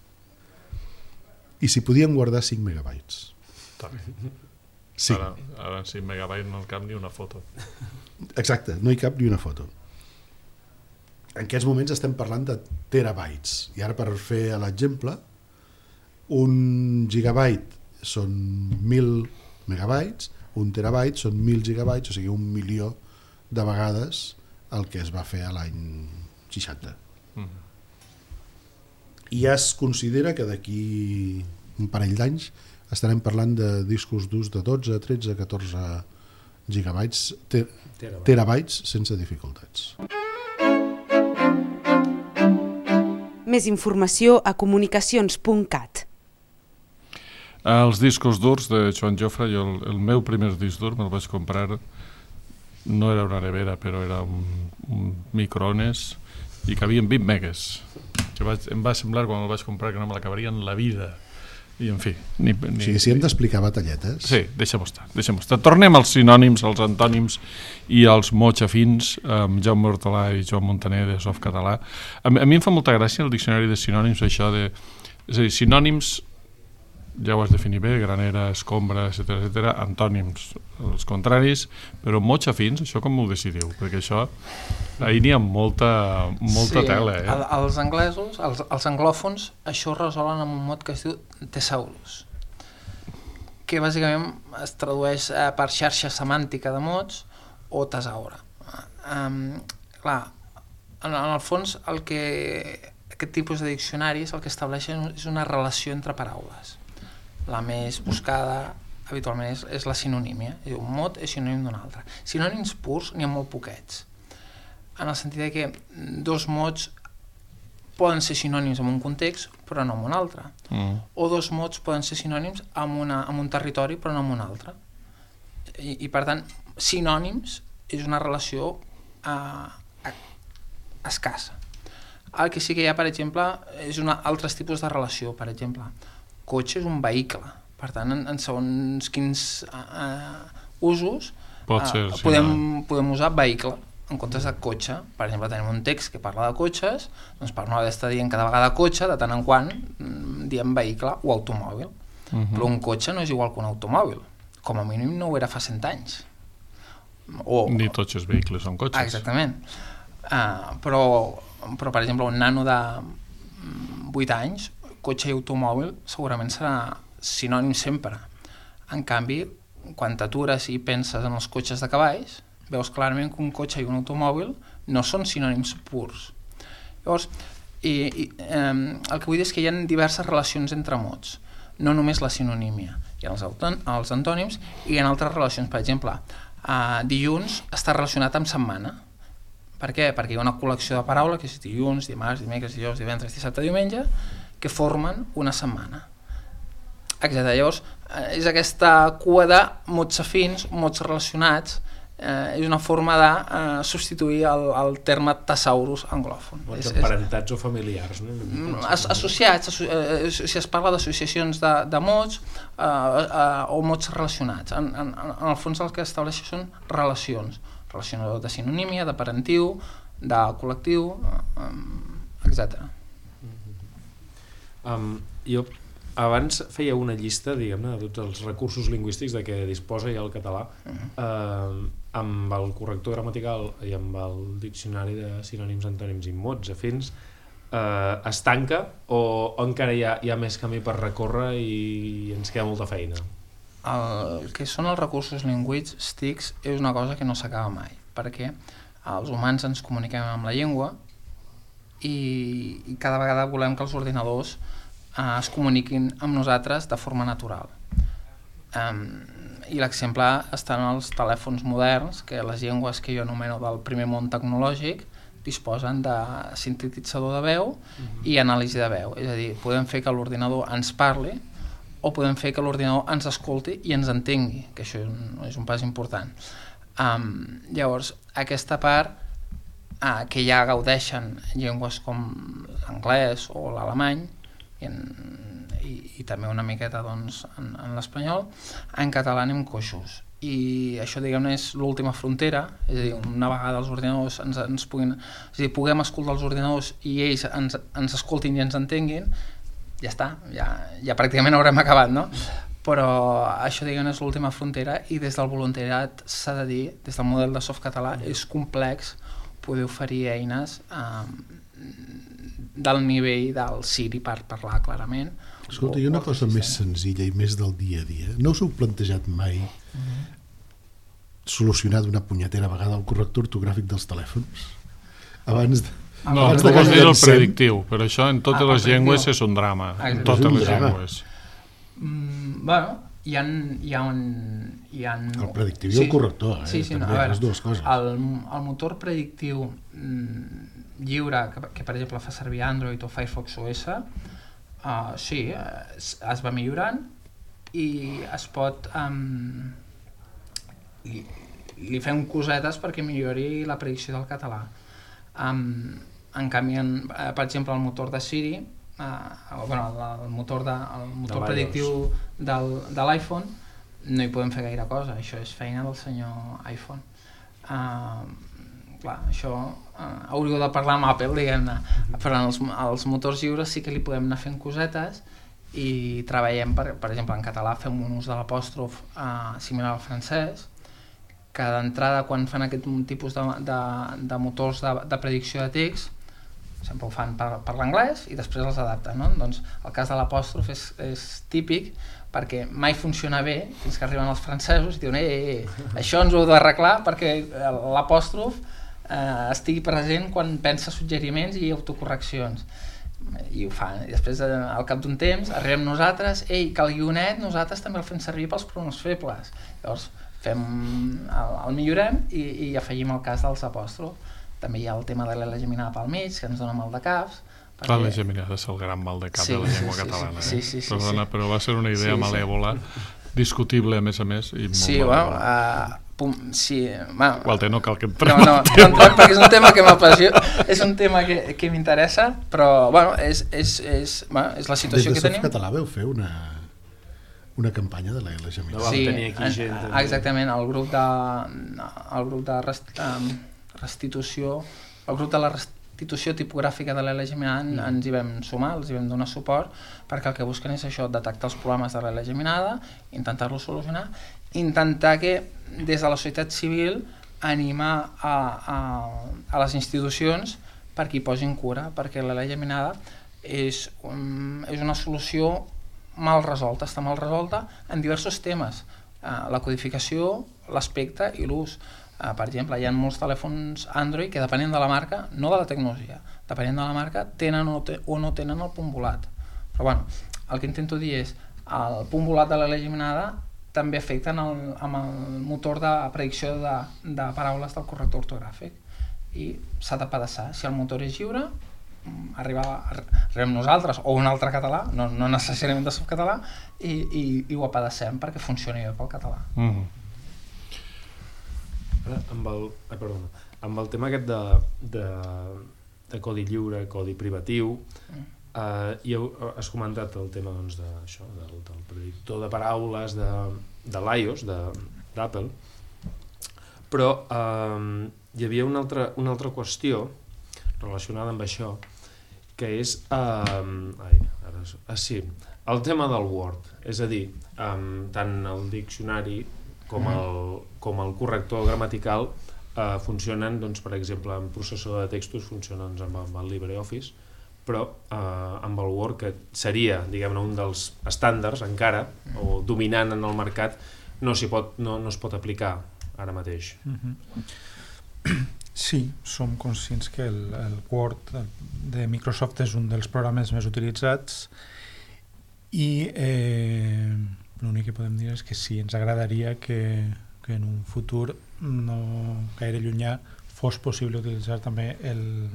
Speaker 4: i s'hi podien guardar 5 megabytes.
Speaker 2: Sí. Ara en 5 megabytes no cap ni una foto.
Speaker 4: Exacte, no hi cap ni una foto. En aquests moments estem parlant de terabytes, i ara per fer l'exemple, un gigabyte són 1.000 megabytes, un terabyte són 1.000 gigabytes, o sigui 1 milió de vegades el que es va fer a l'any 60. I ja es considera que d'aquí un parell d'anys estarem parlant de discos durs de 12, 13, 14 gigabytes, terabytes sense dificultats.
Speaker 1: Més informació a comunicacions.cat.
Speaker 2: Els discos durs de Joan Jofre, jo el meu primer disc dur me'l vaig comprar, no era una nevera, però era un microones i cabien 20 megas. Em va semblar quan el vaig comprar que no me l'acabaria en la vida. I en fi...
Speaker 4: O sigui, si hem d'explicar batalletes...
Speaker 2: Sí, deixem-ho estar. Tornem als sinònims, als antònims i als mots afins, amb Jaume Hortolà i Joan Montaner de Softcatalà. A mi em fa molta gràcia el diccionari de sinònims, això de... És a dir, sinònims, ja ho has definit bé, granera, escombra, etc. Antònims, els contraris, però mots afins, això com ho decidiu? Perquè això, ahir n'hi ha molta tela.
Speaker 6: Els anglesos, els anglòfons, això ho resolen amb un mot que es diu thesaurus, que bàsicament es tradueix per xarxa semàntica de mots o tesaure. Clar, en el fons aquest tipus de diccionaris el que estableixen és una relació entre paraules. La més buscada habitualment és la sinonímia. Un mot és sinònim d'un altre. Sinònims purs n'hi ha molt poquets, en el sentit que dos mots poden ser sinònims en un context però no en un altre, o dos mots poden ser sinònims en un territori però no en un altre, i per tant sinònims és una relació escassa. El que sí que hi ha, per exemple, és altres tipus de relació. Per exemple, cotxe és un vehicle, per tant en segons quins usos podem usar vehicle en comptes de cotxe. Per exemple, tenim un text que parla de cotxes, doncs per no haver d'estar dient cada vegada cotxe, de tant en quant diem vehicle o automòbil. Però un cotxe no és igual que un automòbil, com a mínim no ho era fa 100 anys.
Speaker 2: Ni tots els vehicles són cotxes.
Speaker 6: Exactament. Però per exemple, un nano de 8 anys, cotxe i automòbil segurament serà sinònim sempre. En canvi, quan t'atures i penses en els cotxes de cavalls, veus clarament que un cotxe i un automòbil no són sinònims purs. Llavors, el que vull dir és que hi ha diverses relacions entre mots, no només la sinonímia. Hi ha els antònims i hi ha altres relacions. Per exemple, dilluns està relacionat amb setmana. Per què? Perquè hi ha una col·lecció de paraules, que és dilluns, dimarts, dimecres, dijous, divendres, dissabte, diumenge, que formen una setmana. Exacte. Llavors, és aquesta cua de mots afins, mots relacionats, és una forma de substituir el terme thesaurus anglòfon.
Speaker 3: Mots emparentats o familiars, no?
Speaker 6: Associats, si es parla d'associacions de mots o mots relacionats. En el fons el que estableix són relacions de sinonímia, de parentiu, de col·lectiu, etc.
Speaker 3: Jo abans feia una llista, diguem-ne, de tots els recursos lingüístics de què disposa ja el català, amb el corrector gramatical i amb el diccionari de sinònims, antònims i mots afins. Es tanca o encara hi ha més camí per recórrer i ens queda molta feina?
Speaker 6: El que són els recursos lingüístics és una cosa que no s'acaba mai, perquè els humans ens comuniquem amb la llengua i cada vegada volem que els ordinadors es comuniquin amb nosaltres de forma natural. I l'exemple està en els telèfons moderns, que les llengües que jo anomeno del primer món tecnològic disposen de sintetitzador de veu i anàlisi de veu. És a dir, podem fer que l'ordinador ens parli o podem fer que l'ordinador ens escolti i ens entengui, que això és un pas important. Llavors, aquesta part que ja gaudeixen llengües com l'anglès o l'alemany i també una miqueta doncs, en l'espanyol, en català anem coixos. I això, diguem-ne, és l'última frontera, és a dir, una vegada els ordinadors puguem escoltar els ordinadors i ells ens escoltin i ens entenguin, ja està, ja pràcticament haurem acabat, no? Però això, diguem, és l'última frontera, i des del voluntariat s'ha de dir, des del model de Softcatalà, és complex poder oferir eines del nivell del Siri, per parlar clarament.
Speaker 4: Escolta, hi ha una cosa més senzilla i més del dia a dia. No us heu plantejat mai solucionar d'una punyetera vegada el corrector ortogràfic dels telèfons? Abans de...
Speaker 2: No, tu vols dir el predictiu, però això en totes les llengües és un drama, en totes les llengües.
Speaker 6: Bueno, hi ha
Speaker 4: el predictiu i el corrector, també, les dues coses.
Speaker 6: El motor predictiu lliure, que per exemple fa servir Android o Firefox OS, sí, es va millorant i es pot... li fem cosetes perquè millori la predicció del català. En canvi, per exemple, el motor de Siri, el motor predictiu de l'iPhone, no hi podem fer gaire cosa, això és feina del senyor iPhone. Clar, això hauríeu de parlar amb Apple, diguem-ne, però als motors lliures sí que li podem anar fent cosetes i treballem, per exemple, en català fem un ús de l'apòstrof similar al francès, que d'entrada quan fan aquest tipus de motors de predicció de text sempre ho fan per l'anglès i després els adapten, no? Doncs el cas de l'apòstrof és típic perquè mai funciona bé fins que arriben els francesos i diuen això ens ho heu d'arreglar perquè l'apòstrof estigui present quan pensa suggeriments i autocorreccions, i ho fan, i després al cap d'un temps arribem nosaltres, que el guionet nosaltres també el fem servir pels pronoms febles, llavors el millorem i afegim el cas dels apòstrofs. També hi ha el tema de l'L geminada pel mig, que ens dona mal de caps.
Speaker 2: L'L geminada és el gran mal de cap de la llengua catalana. Perdona, però va ser una idea malèvola, discutible a més, i molt Walter, no cal que entrem.
Speaker 6: No entrem perquè és un tema que m'apassiona, és un tema que m'interessa, però és la situació que tenim.
Speaker 4: Des de Softcatalà veu fer una campanya de l'L geminada.
Speaker 6: Sí, exactament, el grup de restitució, el grup de la restitució tipogràfica de l'L geminada ens hi vam sumar, els hi vam donar suport, perquè el que busquen és això, detectar els problemes de l'L geminada, intentar-los solucionar, intentar que des de la societat civil animar a les institucions perquè hi posin cura, perquè l'L geminada és una solució mal resolta, està mal resolta en diversos temes, la codificació, l'aspecte i l'ús. Per exemple, hi ha molts telèfons Android que depenent de la marca, no de la tecnologia, depenent de la marca, tenen o no tenen el punt volat. Però bueno, el que intento dir és el punt volat de l'L geminada també afecta amb el motor de predicció de paraules del corrector ortogràfic i s'ha de pedaçar. Si el motor és lliure, arribem nosaltres o un altre català, no necessàriament de Softcatalà, i ho apedacem perquè funcioni bé pel català.
Speaker 3: Amb el tema aquest de codi lliure, codi privatiu, has comentat el tema del predictor de paraules de l'iOS, d'Apple, però hi havia una altra qüestió relacionada amb això, que és el tema del Word, és a dir, tant el diccionari com el corrector gramatical funcionen, per exemple, en processador de textos funcionen amb el LibreOffice, però amb el Word, que seria, diguem-ne, un dels estàndards encara, o dominant en el mercat, no es pot aplicar ara mateix.
Speaker 5: Sí, som conscients que el Word de Microsoft és un dels programes més utilitzats i l'únic que podem dir és que sí, ens agradaria que en un futur no gaire llunyà fos possible utilitzar també el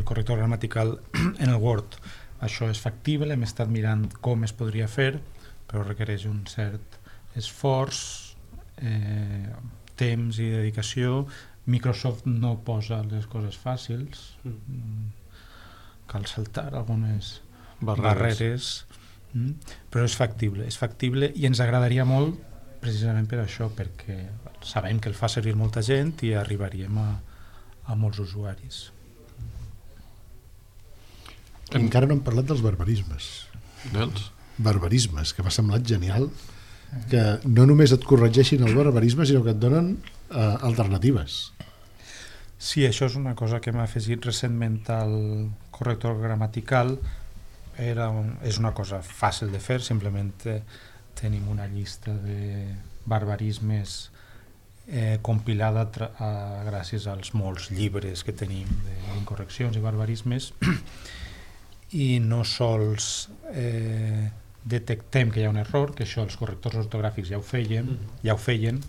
Speaker 5: corrector gramatical en el Word. Això és factible, hem estat mirant com es podria fer, però requereix un cert esforç, temps i dedicació. Microsoft no posa les coses fàcils, cal saltar algunes barreres, però és factible i ens agradaria molt precisament per això, perquè sabem que el fa servir molta gent i arribaríem a molts usuaris.
Speaker 4: Encara no hem parlat dels barbarismes.
Speaker 2: Dels?
Speaker 4: Barbarismes, que m'ha semblat genial, que no només et corregeixin el barbarisme, sinó que et donen alternatives.
Speaker 5: Sí, això és una cosa que m'ha afegit recentment al corrector gramatical. És una cosa fàcil de fer, simplement tenim una llista de barbarismes compilada gràcies als molts llibres que tenim d'incorreccions i barbarismes, i no sols detectem que hi ha un error, que això els correctors ortogràfics ja ho feien,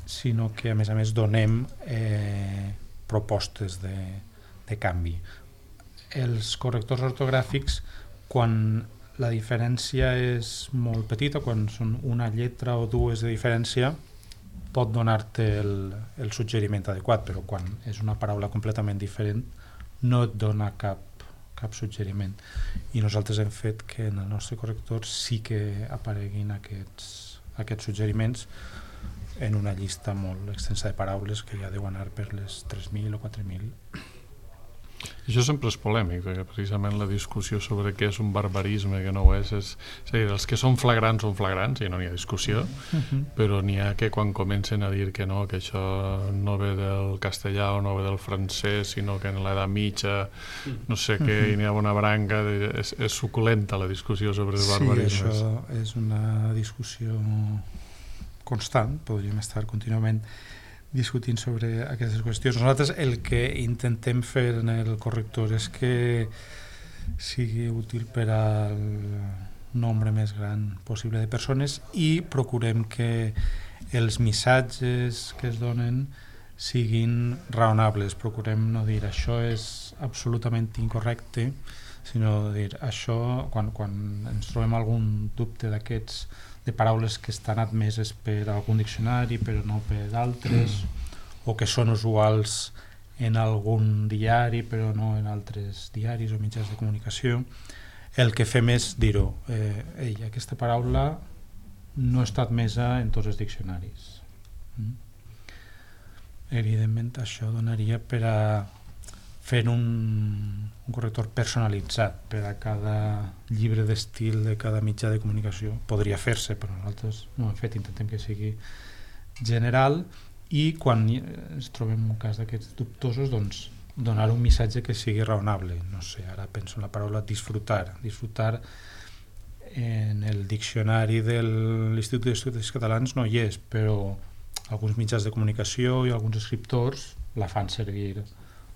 Speaker 5: sinó que a més donem propostes de canvi. Els correctors ortogràfics, quan la diferència és molt petita, quan són una lletra o dues de diferència, pot donar-te el suggeriment adequat, però quan és una paraula completament diferent no et dona cap suggeriment. I nosaltres hem fet que en el nostre corrector sí que apareguin aquests suggeriments en una llista molt extensa de paraules que ja deu anar per les 3.000 o 4.000.
Speaker 2: Això sempre és polèmic, perquè precisament la discussió sobre què és un barbarisme i què no ho és a dir, els que són flagrants i no n'hi ha discussió, però n'hi ha que quan comencen a dir que no, que això no ve del castellà o no ve del francès, sinó que en l'edat mitja no sé què, i n'hi ha una branca, és suculenta la discussió sobre els barbarismes.
Speaker 5: Sí, això és una discussió constant, podríem estar contínuament discutint sobre aquestes qüestions. Nosaltres el que intentem fer en el corrector és que sigui útil per al nombre més gran possible de persones i procurem que els missatges que es donen siguin raonables. Procurem no dir això és absolutament incorrecte, sinó dir això, quan ens trobem algun dubte d'aquests, de paraules que estan admeses per algun diccionari però no per d'altres, o que són usuals en algun diari però no en altres diaris o mitjans de comunicació, el que fem és dir-ho, aquesta paraula no està admesa en tots els diccionaris. Evidentment això donaria per a fer un corrector personalitzat per a cada llibre d'estil de cada mitjà de comunicació. Podria fer-se, però nosaltres no ho hem fet, intentem que sigui general, i quan ens trobem un cas d'aquests dubtosos, doncs donar un missatge que sigui raonable. No sé, ara penso en la paraula disfrutar. Disfrutar en el diccionari de l'Institut d'Estudis Catalans no hi és, però alguns mitjans de comunicació i alguns escriptors la fan servir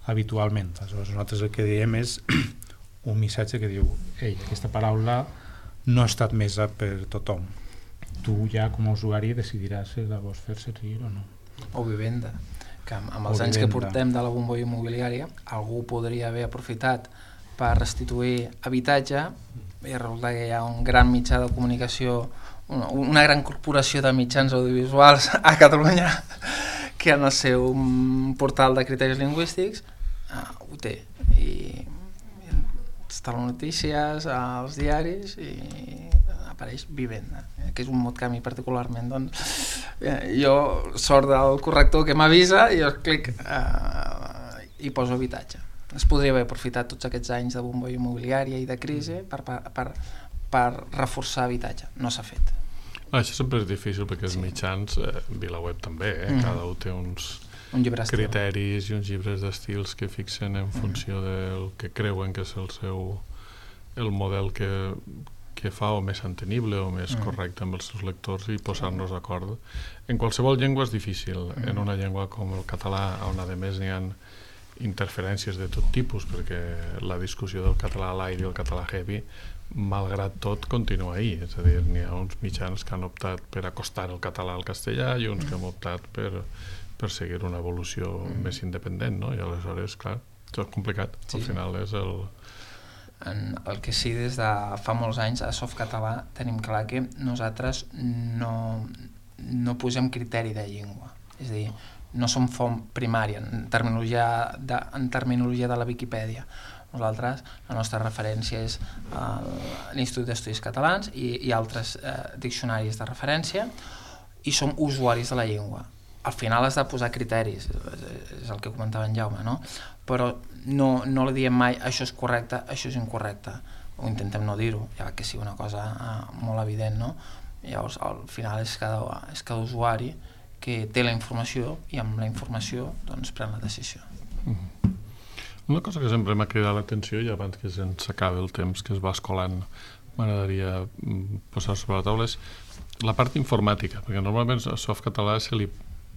Speaker 5: habitualment. Aleshores nosaltres el que diem és un missatge que diu aquesta paraula no ha estat admesa per tothom. Tu ja com a usuari decidiràs si la vols fer servir o no.
Speaker 6: O vivenda, que amb els anys que portem de la bombolla immobiliària algú podria haver aprofitat per restituir habitatge i resulta que hi ha un gran mitjà de comunicació, una gran corporació de mitjans audiovisuals a Catalunya que en el seu portal de criteris lingüístics ho té i està a les notícies, als diaris i apareix vivenda, que és un mot que a mi particularment jo sort del corrector que m'avisa i jo clic i poso habitatge. Es podria haver aprofitat tots aquests anys de bombolla immobiliària i de crisi per reforçar habitatge, no s'ha fet.
Speaker 2: Això sempre és difícil perquè els mitjans, VilaWeb també, cada un té uns criteris i uns llibres d'estils que fixen en funció del que creuen que és el model que fa o més entenible o més correcte amb els seus lectors i posar-nos d'acord. En qualsevol llengua és difícil, en una llengua com el català, on a més n'hi ha interferències de tot tipus, perquè la discussió del català light i el català heavy, malgrat tot, continua ahí. És a dir, n'hi ha uns mitjans que han optat per acostar el català al castellà i uns que han optat per seguir una evolució més independent, no? I aleshores, clar, això és complicat. Al final és
Speaker 6: el que sí, des de fa molts anys a Softcatalà tenim clar que nosaltres no posem criteri de llengua, és a dir, no som font primària en terminologia de la Viquipèdia. Nosaltres, la nostra referència és l'Institut d'Estudis Catalans i altres diccionaris de referència i som usuaris de la llengua. al final has de posar criteris, és el que comentava en Jaume, no? Però no li diem mai això és correcte, això és incorrecte, o intentem no dir-ho, ja que sigui una cosa molt evident, no? Llavors al final és cada usuari que té la informació i amb la informació doncs pren la decisió.
Speaker 2: Una cosa que sempre m'ha cridat l'atenció, i abans que se'ns acabi el temps que es va escolant m'agradaria posar sobre la taula, és la part informàtica, perquè normalment a Softcatalà se li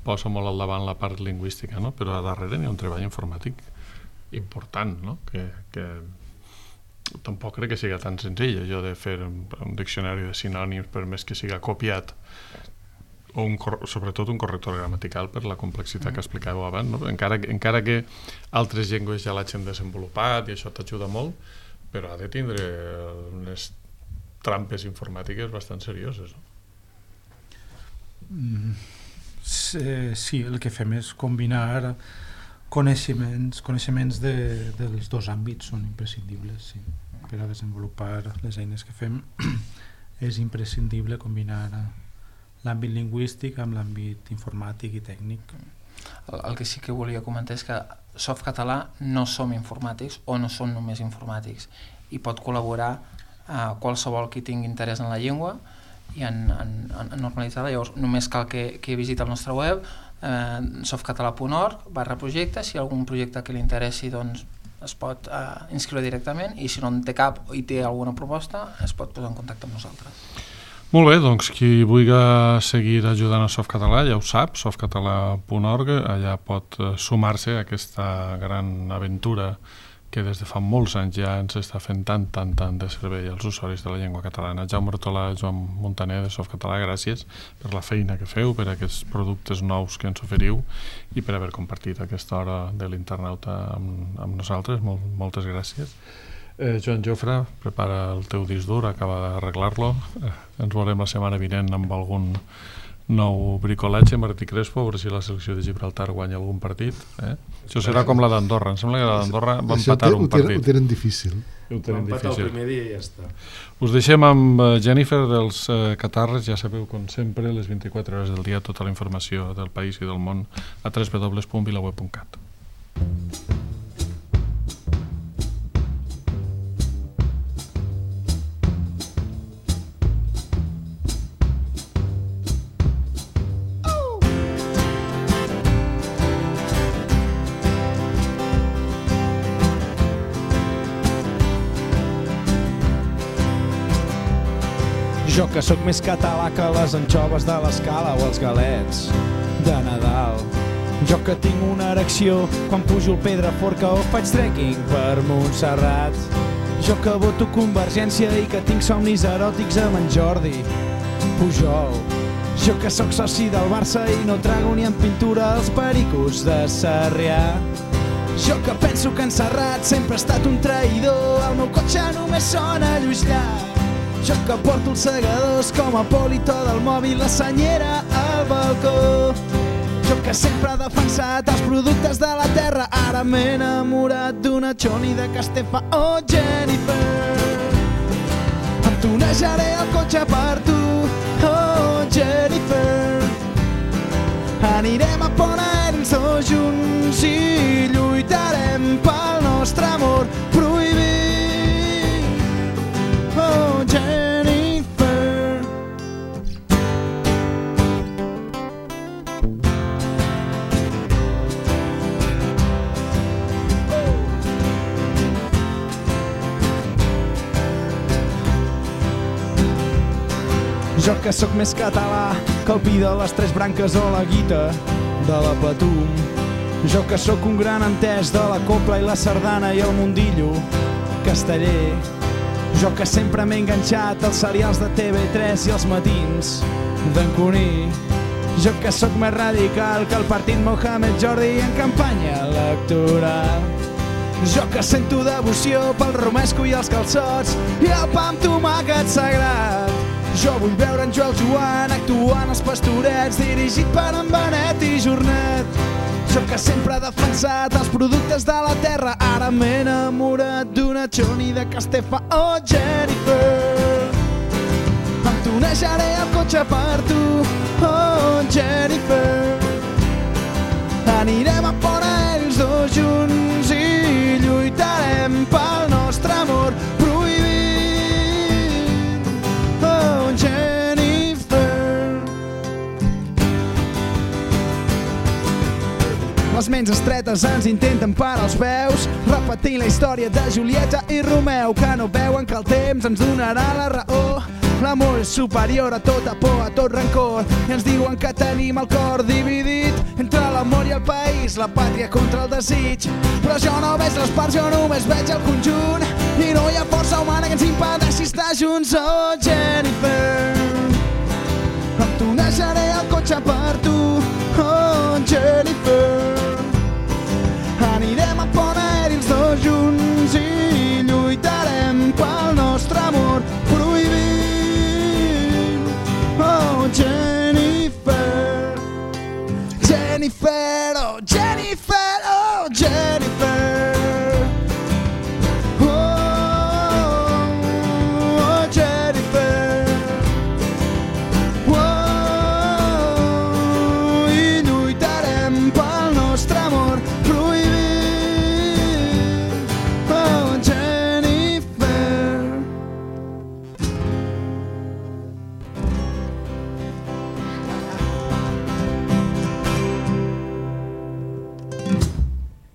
Speaker 2: posa molt al davant la part lingüística, no? Però a darrere n'hi ha un treball informàtic important, no? Que tampoc crec que sigui tan senzill allò de fer un diccionari de sinònims, per més que siga copiat, o sobretot un corrector gramatical per la complexitat que explicàveu abans, no? Encara que altres llengües ja l'hagin desenvolupat i això t'ajuda molt, però ha de tindre unes trampes informàtiques bastant serioses, no?
Speaker 5: Sí, el que fem és combinar coneixements dels dos àmbits, són imprescindibles, sí. Per a desenvolupar les eines que fem és imprescindible combinar l'àmbit lingüístic amb l'àmbit informàtic i tècnic.
Speaker 6: El que sí que volia comentar és que Softcatalà no som informàtics o no som només informàtics, i pot col·laborar qualsevol qui tingui interès en la llengua i en normalitzar-la. Llavors només cal que visiti el nostre web, softcatalà.org/projecte. Si hi ha algun projecte que li interessi, doncs es pot inscriure directament, i si no en té cap i té alguna proposta es pot posar en contacte amb nosaltres.
Speaker 2: Molt bé, doncs qui vulgui seguir ajudant a Softcatalà ja ho sap, softcatalà.org, allà pot sumar-se a aquesta gran aventura que des de fa molts anys ja ens està fent tant de servei als usuaris de la llengua catalana. Jaume Hortolà i Joan Montaner de Softcatalà, gràcies per la feina que feu, per aquests productes nous que ens oferiu i per haver compartit aquesta hora de l'internauta amb nosaltres. Moltes gràcies. Joan Jofre, prepara el teu disc dur, acaba d'arreglar-lo. Ens veurem la setmana vinent amb algun nou bricolatge. Martí Crespo, a veure si la selecció de Gibraltar guanya algun partit. Això serà com la d'Andorra. Em sembla que la d'Andorra va empatar un partit.
Speaker 4: Ho tenen difícil.
Speaker 3: Va empatar el primer dia i ja està.
Speaker 2: Us deixem amb Jennifer dels Catarres. Ja sabeu, com sempre, les 24 hores del dia, tota la informació del país i del món a www.vilaweb.cat.
Speaker 12: Jo que sóc més català que les anxoves de l'Escala o els galets de Nadal. Jo que tinc una erecció quan pujo el Pedraforca o faig trekking per Montserrat. Jo que voto Convergència i que tinc somnis eròtics amb en Jordi Pujol. Jo que sóc soci del Barça i no trago ni en pintura els pericos de Sarrià. Jo que penso que en Serrat sempre ha estat un traïdor, el meu cotxe només sona Lluís Llach. Jo que porto els segadors com a polito del mòbil, la senyera al balcó. Jo que sempre he defensat els productes de la terra, ara m'he enamorat d'una Choni de Castefa. Oh, Jennifer, em tunejaré el cotxe per tu. Oh, Jennifer, anirem a Ponents tots junts i lluitarem pel nostre amor prohibit. Oh, Jennifer. Jo que sóc més català que el pi de les tres branques o la guita de la Patum. Jo que sóc un gran entès de la copla i la sardana i el mundillo casteller. Jo que sempre m'he enganxat als serials de TV3 i els matins d'en Cuní. Jo que sóc més radical que el partit Mohamed Jordi en campanya electoral. Jo que sento devoció pel romesco i els calçots i el pa amb tomàquet sagrat. Jo vull veure en Joel Joan actuant als Pastorets, dirigit per en Benet i Jornet. Jo que sempre he defensat els productes de la terra, ara m'he enamorat d'una Choni de Castefa. Oh, Jennifer, em tunejaré el cotxe per tu. Oh, Jennifer, Anirem a fora ells dos junts i lluitarem pel nostre amor prohibit. Oh, Jennifer. Les ments estretes ens intenten parar els peus, repetint la història de Julieta i Romeu, que no veuen que el temps ens donarà la raó. L'amor és superior a tota por, a tot rancor, i ens diuen que tenim el cor dividit entre l'amor i el país, la pàtria contra el desig. Però jo no veig les parts, jo només veig el conjunt, i no hi ha força humana que ens impedeixi estar junts. Oh, Jennifer, em tunejaré el cotxe per tu. Oh, Jennifer,